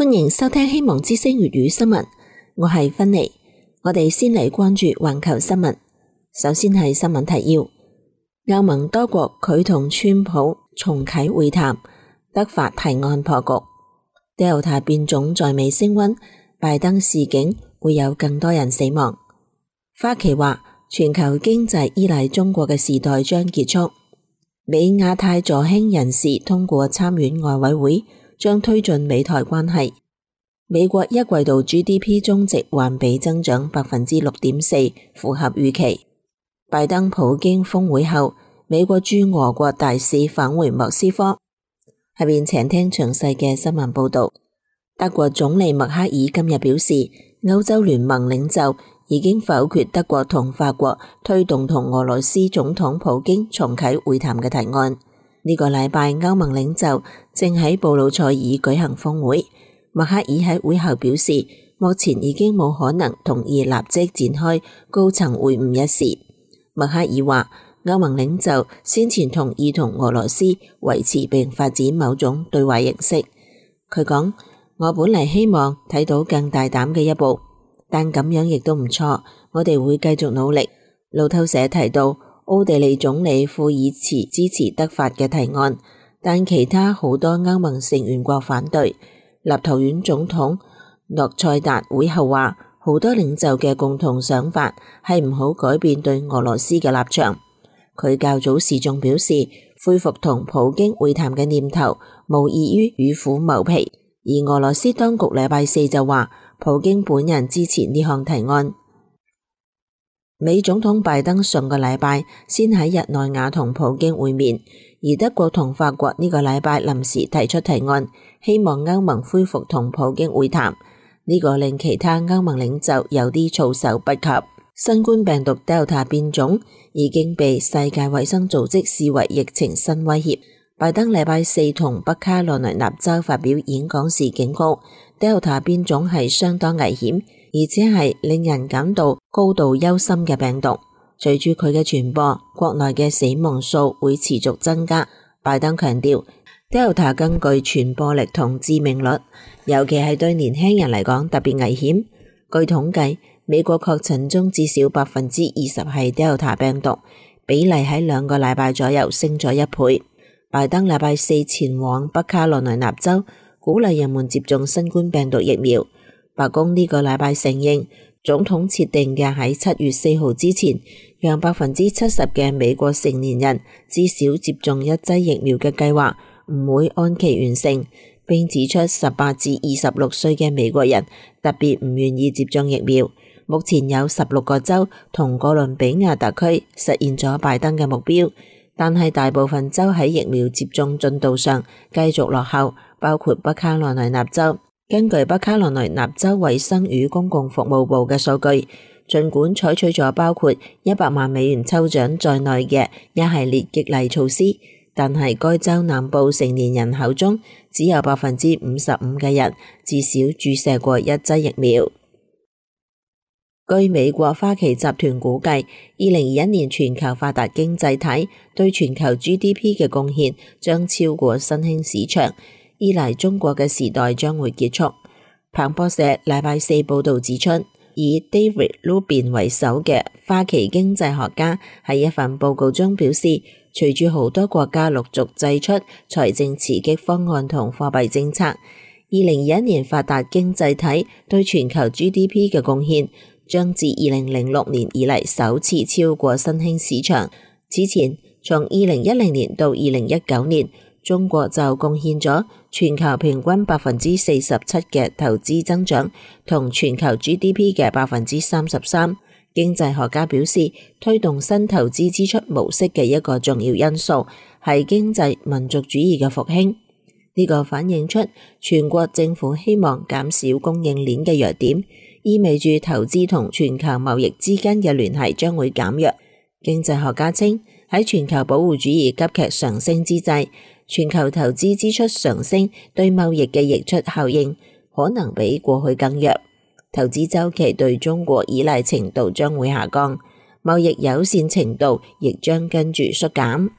歡迎收聽希望之聲粵語新聞，我係芬妮。我哋先嚟關注環球新聞。首先係新聞提要：歐盟多國拒同川普重啟會談，德法提案破局。Delta 變種在美升溫，拜登示警會有更多人死亡。花旗話，全球經濟依賴中國嘅時代將結束。美亞太助興人士通過參院外委會，將推進美台關係。美國一季度 GDP 終值環比增長 6.4%， 符合預期。拜登普京峰會後，美國駐俄國大使返回莫斯科。下面請聽詳細嘅新聞報道。德國總理默克爾今日表示，歐洲聯盟領袖已經否決德國同法國推動同俄羅斯總統普京重啟會談嘅提案。呢個禮拜，歐盟領袖正喺布魯塞爾舉行峰會。默克爾喺會後表示，目前已經冇可能同意立即展開高層會晤一事。默克爾話，歐盟領袖先前同意同俄羅斯維持並發展某種對話形式。佢講，我本嚟希望睇到更大膽嘅一步，但咁樣亦都唔錯，我哋會繼續努力。路透社提到，奧地利總理庫爾茨支持德法嘅提案，但其他好多歐盟成員國反對。立陶宛總統諾塞達會後話，好多領袖嘅共同想法係唔好改變對俄羅斯嘅立場。佢較早時仲表示，恢復同普京會談嘅念頭無異於與虎謀皮。而俄羅斯當局禮拜四就話，普京本人支持呢項提案。美總統拜登上個禮拜先喺日內瓦同普京會面，而德國同法國呢個禮拜臨時提出提案，希望歐盟恢復同普京會談。呢個令其他歐盟領袖有啲措手不及。新冠病毒 Delta 變種已經被世界衛生組織視為疫情新威脅。拜登禮拜四同北卡羅來納州發表演講時警告， Delta 變種係相當危險，而且係令人感到高度憂心嘅病毒。隨住佢嘅傳播，國內嘅死亡數會持續增加。拜登強調， Delta 更具傳播力同致命率，尤其係對年輕人嚟講特別危險。據統計，美國確診中至少 20% 係 Delta 病毒，比例喺2個禮拜左右升咗1倍。拜登禮拜四前往北卡羅來納州，鼓勵人們接種新冠病毒疫苗。白宮呢個禮拜承認，總統設定嘅喺7月4號之前，讓 70% 嘅美國成年人至少接種1劑疫苗嘅計劃唔會按期完成，並指出18至26歲嘅美國人特別唔願意接種疫苗。目前有16個州同哥倫比亞特區實現咗拜登嘅目標，但係大部分州喺疫苗接種進度上繼續落後，包括北卡羅來納州。根據北卡羅來納州衛生與公共服務部嘅數據，儘管採取咗包括100萬美元抽獎在內嘅一系列激勵措施，但係該州南部成年人口中只有 55% 嘅人至少注射過1劑疫苗。據美國花旗集團估計，2021年全球發達經濟體對全球 GDP 嘅貢獻將超過新興市場，依賴中國嘅時代將會結束。彭博社禮拜四報道指出，以 David Rubin 為首嘅花旗經濟學家喺一份報告中表示，隨住好多國家陸續祭出財政刺激方案同貨幣政策，2021年發達經濟體對全球 GDP 嘅貢獻將自2006年以嚟首次超過新興市場。此前，從2010年到2019年，中國就貢獻咗全球平均 47% 嘅投資增長，同全球 GDP 嘅 33%。經濟學家表示，推動新投資支出模式嘅一個重要因素係經濟民族主義嘅復興。呢個反映出全國政府希望減少供應鏈嘅弱點，意味住投資同全球貿易之間嘅聯繫將會減弱。經濟學家稱，喺全球保護主義急劇上升之際，全球投資支出上升對貿易嘅溢出效應可能比過去更弱，投資週期對中國依賴程度將會下降，貿易友善程度亦將跟住縮減。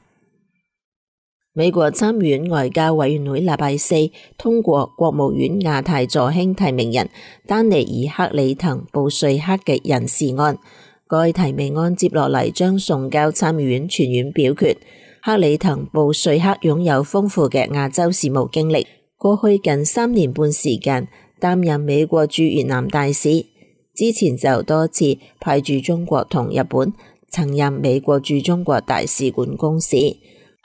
美國參議院外交委員會禮拜四通過國務院亞太助卿提名人丹尼爾·克里滕布瑞克嘅人事案，該提名案接落嚟將送交參議院全院表決。克里滕布瑞克擁有豐富嘅亞洲事務經歷，過去近3年半時間擔任美國駐越南大使，之前就多次派駐中國同日本，曾任美國駐中國大使館公使。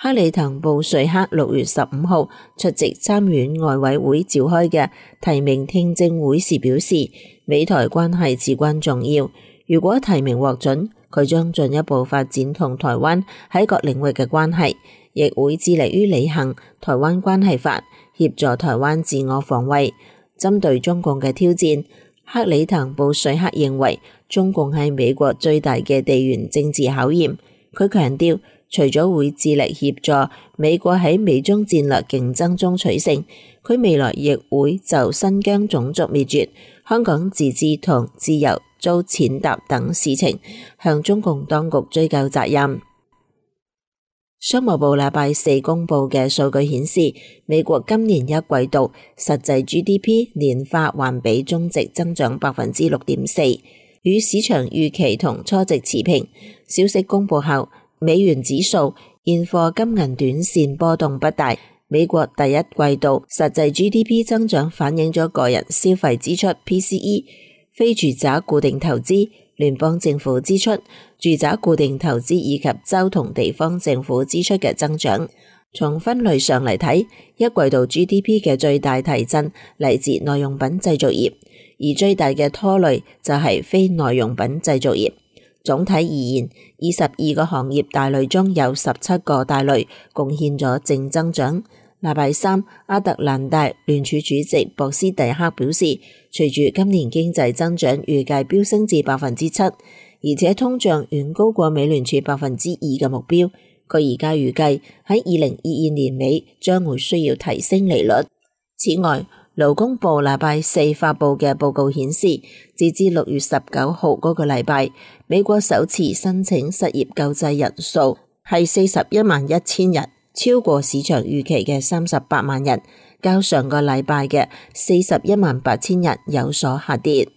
克里滕布瑞克6月15號出席參議院外委會召開嘅提名聽證會時表示，美台關係至關重要，如果提名獲准，佢將進一步發展同台灣喺各領域嘅關係，亦會致力於履行台灣關係法，協助台灣自我防衛。針對中共嘅挑戰，克里滕布瑞克認為中共係美國最大嘅地緣政治考驗。佢強調，除咗會致力協助美國喺美中戰略競爭中取勝，佢未來亦會就新疆種族滅絕、香港自治同自由遭踐踏等事情向中共當局追究責任。商務部禮拜四公布嘅數據顯示，美國今年一季度實際 GDP 年化環比中值增長 6.4%， 與市場預期同初值持平。消息公布後，美元指數、現貨金銀短線波動不大。美國第一季度實際 GDP 增長反映咗個人消費支出 PCE、非住宅固定投資、聯邦政府支出、住宅固定投資以及州同地方政府支出嘅增長。從分類上嚟睇，一季度 GDP 嘅最大提振嚟自耐用品製造業，而最大嘅拖累就係非耐用品製造業。總體而言，22個行業大類中有17個大類貢獻咗正增長。禮拜三，亞特蘭大聯儲主席博斯蒂克表示，隨住今年經濟增長預計飆升至 7%， 而且通脹遠高過美聯儲 2% 嘅目標，佢而家預計喺2022年尾將會需要提升利率。此外，勞工部禮拜四發布嘅報告顯示，截至6月19號嗰個禮拜，美國首次申請失業救濟人數係411000人，超過市場預期嘅38萬人，較上個禮拜嘅418000人有所下跌。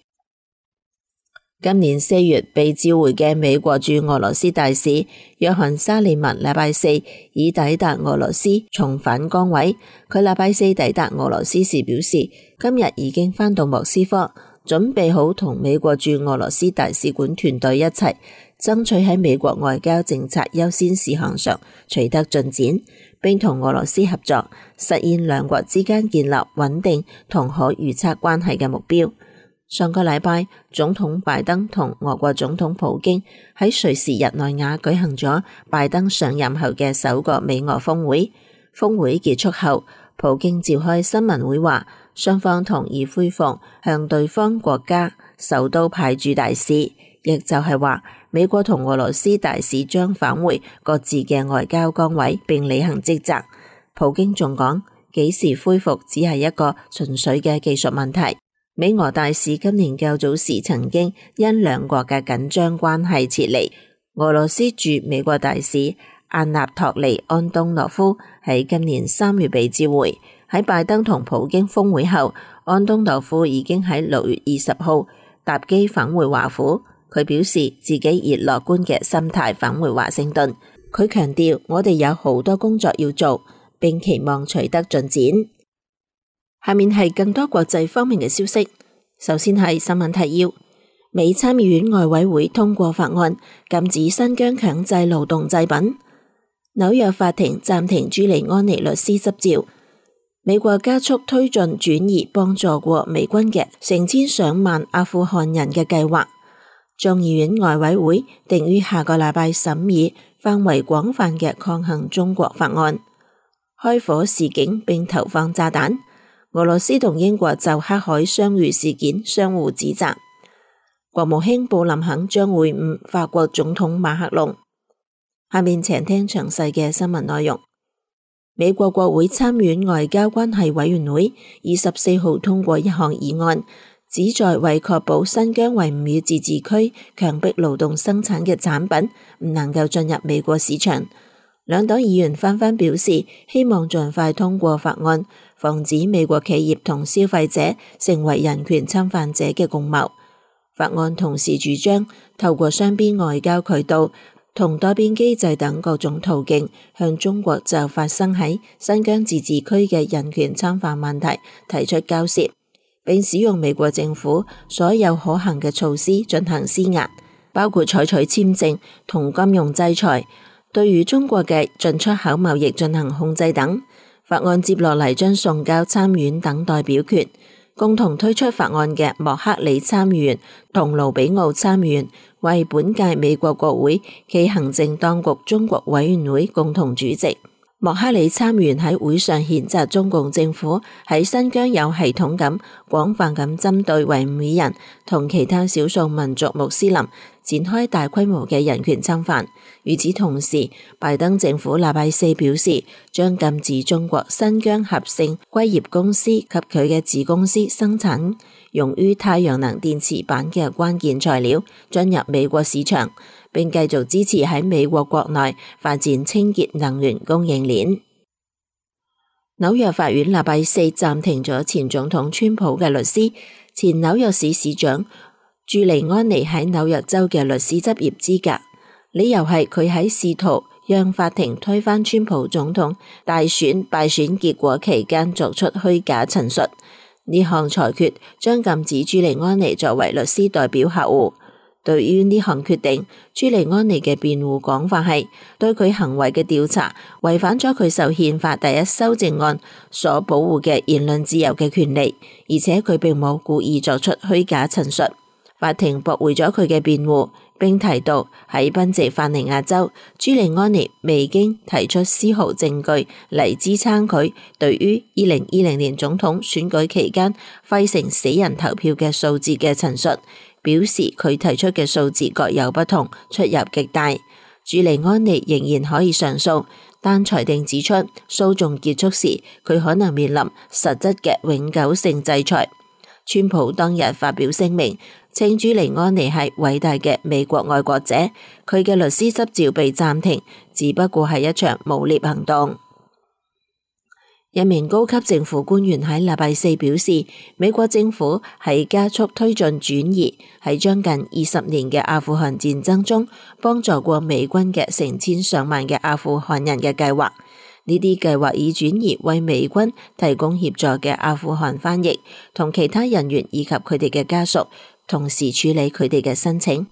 今年4月被召回嘅美國駐俄羅斯大使約翰沙利文禮拜四已抵達俄羅斯，重返崗位。佢禮拜四抵達俄羅斯時表示，今日已經返到莫斯科，準備好同美國駐俄羅斯大使館團隊一齊爭取喺美國外交政策優先事項上取得進展，並同俄羅斯合作，實現兩國之間建立穩定同可預測關係嘅目標。上個禮拜，總統拜登同俄國總統普京喺瑞士日內瓦舉行咗拜登上任後嘅首個美俄峰會。峰會結束後，普京召開新聞會話，雙方同意恢復向對方國家首都派駐大使，亦就係話美國同俄羅斯大使將返回各自嘅外交崗位並履行職責。普京仲講，幾時恢復只係一個純粹嘅技術問題。美俄大使今年較早時曾經因兩國嘅緊張關係撤離。俄羅斯駐美國大使阿納托利安東諾夫喺今年3月被召回。喺拜登同普京峰會後，安東諾夫已經喺6月20號搭機返回華府。佢表示自己以樂觀嘅心態返回華盛頓。佢強調，我哋有好多工作要做，並期望取得進展。下面係更多國際方面嘅消息。首先係新聞提要：美參議院外委會通過法案，禁止新疆強制勞動製品。紐約法庭暫停朱利安尼律師執照。美國加速推進轉移幫助過美軍嘅成千上萬阿富汗人嘅計劃。眾議院外委會定於下個禮拜審議範圍廣泛嘅抗衡中國法案。開火示警並投放炸彈。俄羅斯同英國就黑海相遇事件相互指責。國務卿布林肯將會晤法國總統馬克龍。下面請聽詳細嘅新聞內容。美國國會參院外交關係委員會24號通過一項議案，旨在為確保新疆維吾爾自治區強迫勞動生產嘅產品唔能夠進入美國市場。兩黨議員紛紛表示希望盡快通過法案，防止美國企業同消費者成為人權侵犯者嘅共謀。法案同時主張透過雙邊外交渠道同多邊機制等各種途徑，向中國就發生喺新疆自治區嘅人權侵犯問題提出交涉，並使用美國政府所有可行嘅措施進行施壓，包括採取簽證同金融制裁，對於中國嘅進出口貿易進行控制等。法案接落嚟將送交參院等待表決。共同推出法案嘅莫克里參議員同盧比奧參議員為本屆美國國會暨行政當局中國委員會共同主席。莫克里參議員喺會上譴責中共政府喺新疆有系統咁、廣泛咁針對維吾爾人同其他少數民族穆斯林展開大規模嘅人權侵犯。與此同時，拜登政府禮拜四表示，將禁止中國新疆合盛硅業公司及佢嘅子公司生產用於太陽能電池板嘅關鍵材料進入美國市場，並繼續支持喺美國國內發展清潔能源供應鏈。紐約法院禮拜四暫停咗前總統川普嘅律師、前紐約市市長朱利安尼喺紐約州嘅律師執業資格，理由係佢喺試圖讓法庭推翻川普總統大選敗選結果期間作出虛假陳述。呢項裁決將禁止朱利安尼作為律師代表客戶。對於呢項決定，朱利安尼嘅辯護講法係對佢行為嘅調查違反咗佢受憲法第一修正案所保護嘅言論自由嘅權利，而且佢並冇故意作出虛假陳述。法庭駁回咗佢嘅辯護，並提到喺賓夕法尼亞州，朱利安尼未經提出絲毫證據嚟支撐佢對於2020年總統選舉期間費城死人投票嘅數字嘅陳述，表示佢提出嘅數字各有不同，出入極大。朱利安尼仍然可以上訴，但裁定指出訴訟結束時，佢可能面臨實質嘅永久性制裁。川普當日發表聲明，稱朱利安尼係偉大嘅美國愛國者，佢嘅律師執照被暫停，只不過係一場誣衊行動。一名高級政府官員喺禮拜四表示，美國政府喺加速推進轉移喺將近20年嘅阿富汗戰爭中幫助過美軍嘅成千上萬嘅阿富汗人嘅計劃。呢啲計劃已轉移為美軍提供協助嘅阿富汗翻譯同其他人員以及佢哋嘅家屬，同時處理佢哋嘅申請。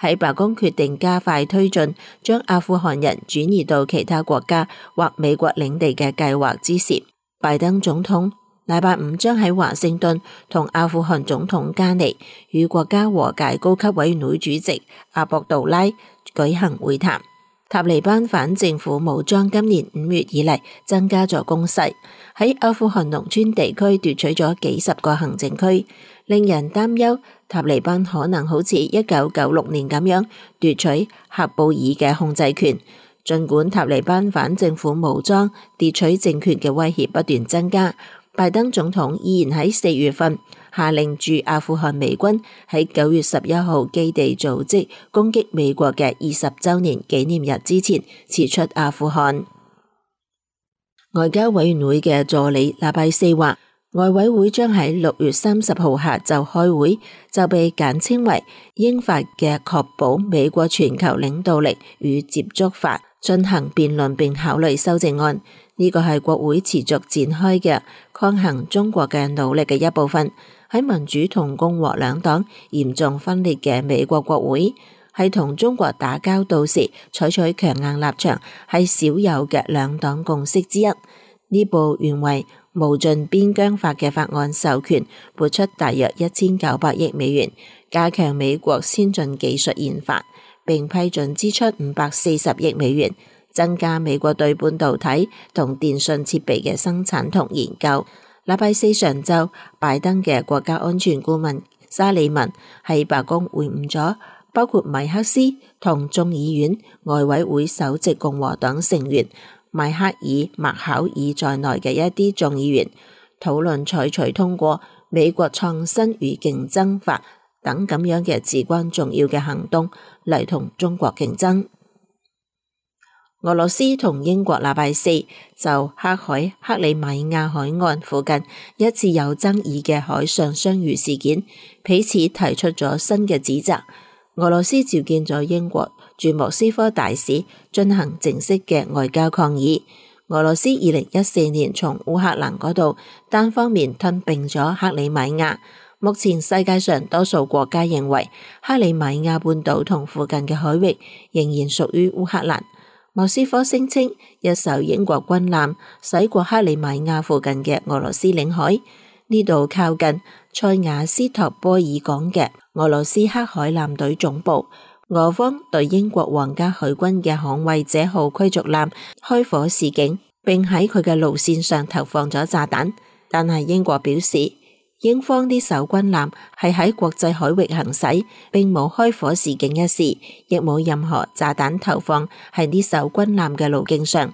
喺白宮決定加快推進將阿富汗人轉移到其他國家或美國領地嘅計劃之時，拜登總統禮拜五將喺華盛頓同阿富汗總統加尼與國家和解高級委員會主席阿博杜拉舉行會談。塔利班反政府武裝今年5月以嚟增加咗攻勢，喺阿富汗農村地區奪取咗幾十個行政區，令人擔憂塔利班可能好似1996年咁樣奪取喀布爾嘅控制權。儘管塔利班反政府武裝奪取政權嘅威脅不斷增加，拜登總統依然喺4月份下令駐阿富汗美軍喺9月11號基地組織攻擊美國嘅20週年紀念日之前撤出阿富汗。外交委員會嘅助理禮拜四話，外委會將喺6月30號下晝開會，就被簡稱為英法嘅確保美國全球領導力與接觸法進行辯論並考慮修正案。呢個係國會持續展開嘅抗衡中國嘅努力嘅一部分。喺民主同共和兩黨嚴重分裂嘅美國國會，係同中國打交道時採取強硬立場係少有嘅兩黨共識之一。呢部原為無盡邊疆法嘅法案授權撥出大約1900億美元，加強美國先進技術研發，並批准支出540億美元，增加美國對半導體同電信設備嘅生產同研究。禮拜四上晝，拜登嘅國家安全顧問沙利文喺白宮會晤咗包括米克斯同眾議院外委會首席共和黨成員邁克爾麥考爾在內嘅一啲眾議員，討論採取通過美國創新與競爭法等咁樣嘅至關重要嘅行動嚟同中國競爭。俄羅斯同英國禮拜四就黑海克里米亞海岸附近一次有爭議嘅海上相遇事件，彼此提出咗新嘅指責。俄羅斯召見咗英國駐莫斯科大使，進行正式嘅外交抗議。俄羅斯2014年從烏克蘭嗰度單方面吞併咗克里米亞。目前世界上多數國家認為克里米亞半島同附近嘅海域仍然屬於烏克蘭。莫斯科聲稱一艘英國軍艦駛過克里米亞附近嘅俄羅斯領海，呢度靠近塞瓦斯托波爾港嘅俄羅斯黑海艦隊總部。俄方對英國皇家海軍嘅捍衛者號驅逐艦開火示警，並喺佢嘅路線上投放咗炸彈，但係英國表示，英方呢艘軍艦係喺國際海域行駛，並冇開火示警一事，亦冇任何炸彈投放喺呢艘軍艦嘅路徑上。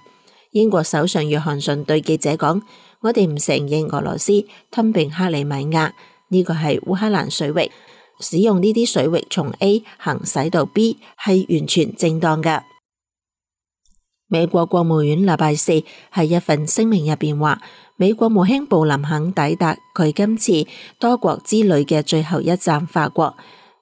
英國首相約翰遜對記者講：我哋唔承認俄羅斯吞併克里米亞，呢個係烏克蘭水域，使用呢啲水域從 A 行駛到 B 係完全正當㗎。美國國務院禮拜四喺一份聲明入邊話，美國國務卿布林肯抵達佢今次多國之旅嘅最後一站法國。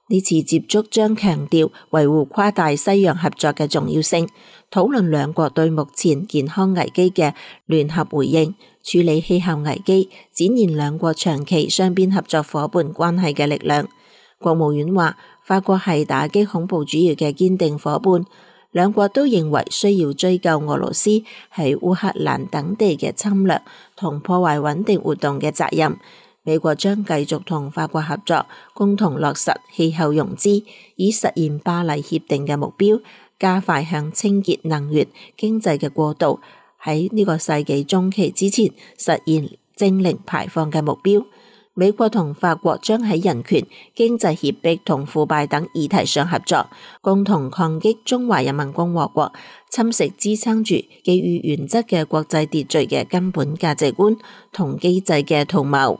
呢次接觸將強調維護跨大西洋合作嘅重要性，討論兩國對目前健康危機嘅聯合回應，處理氣候危機，展現兩國長期雙邊合作夥伴關係嘅力量。國務院話，法國係打擊恐怖主義嘅堅定夥伴。兩國都認為需要追究俄羅斯喺烏克蘭等地嘅侵略同破壞穩定活動嘅責任。美國將繼續同法國合作，共同落實氣候融資，以實現巴黎協定嘅目標，加快向清潔能源經濟嘅過渡，喺呢個世紀中期之前實現淨零排放嘅目標。美國同法國將喺人權、經濟脅迫同腐敗等議題上合作，共同抗擊中華人民共和國侵蝕支撐住基於原則嘅國際秩序嘅根本價值觀同機制嘅圖謀。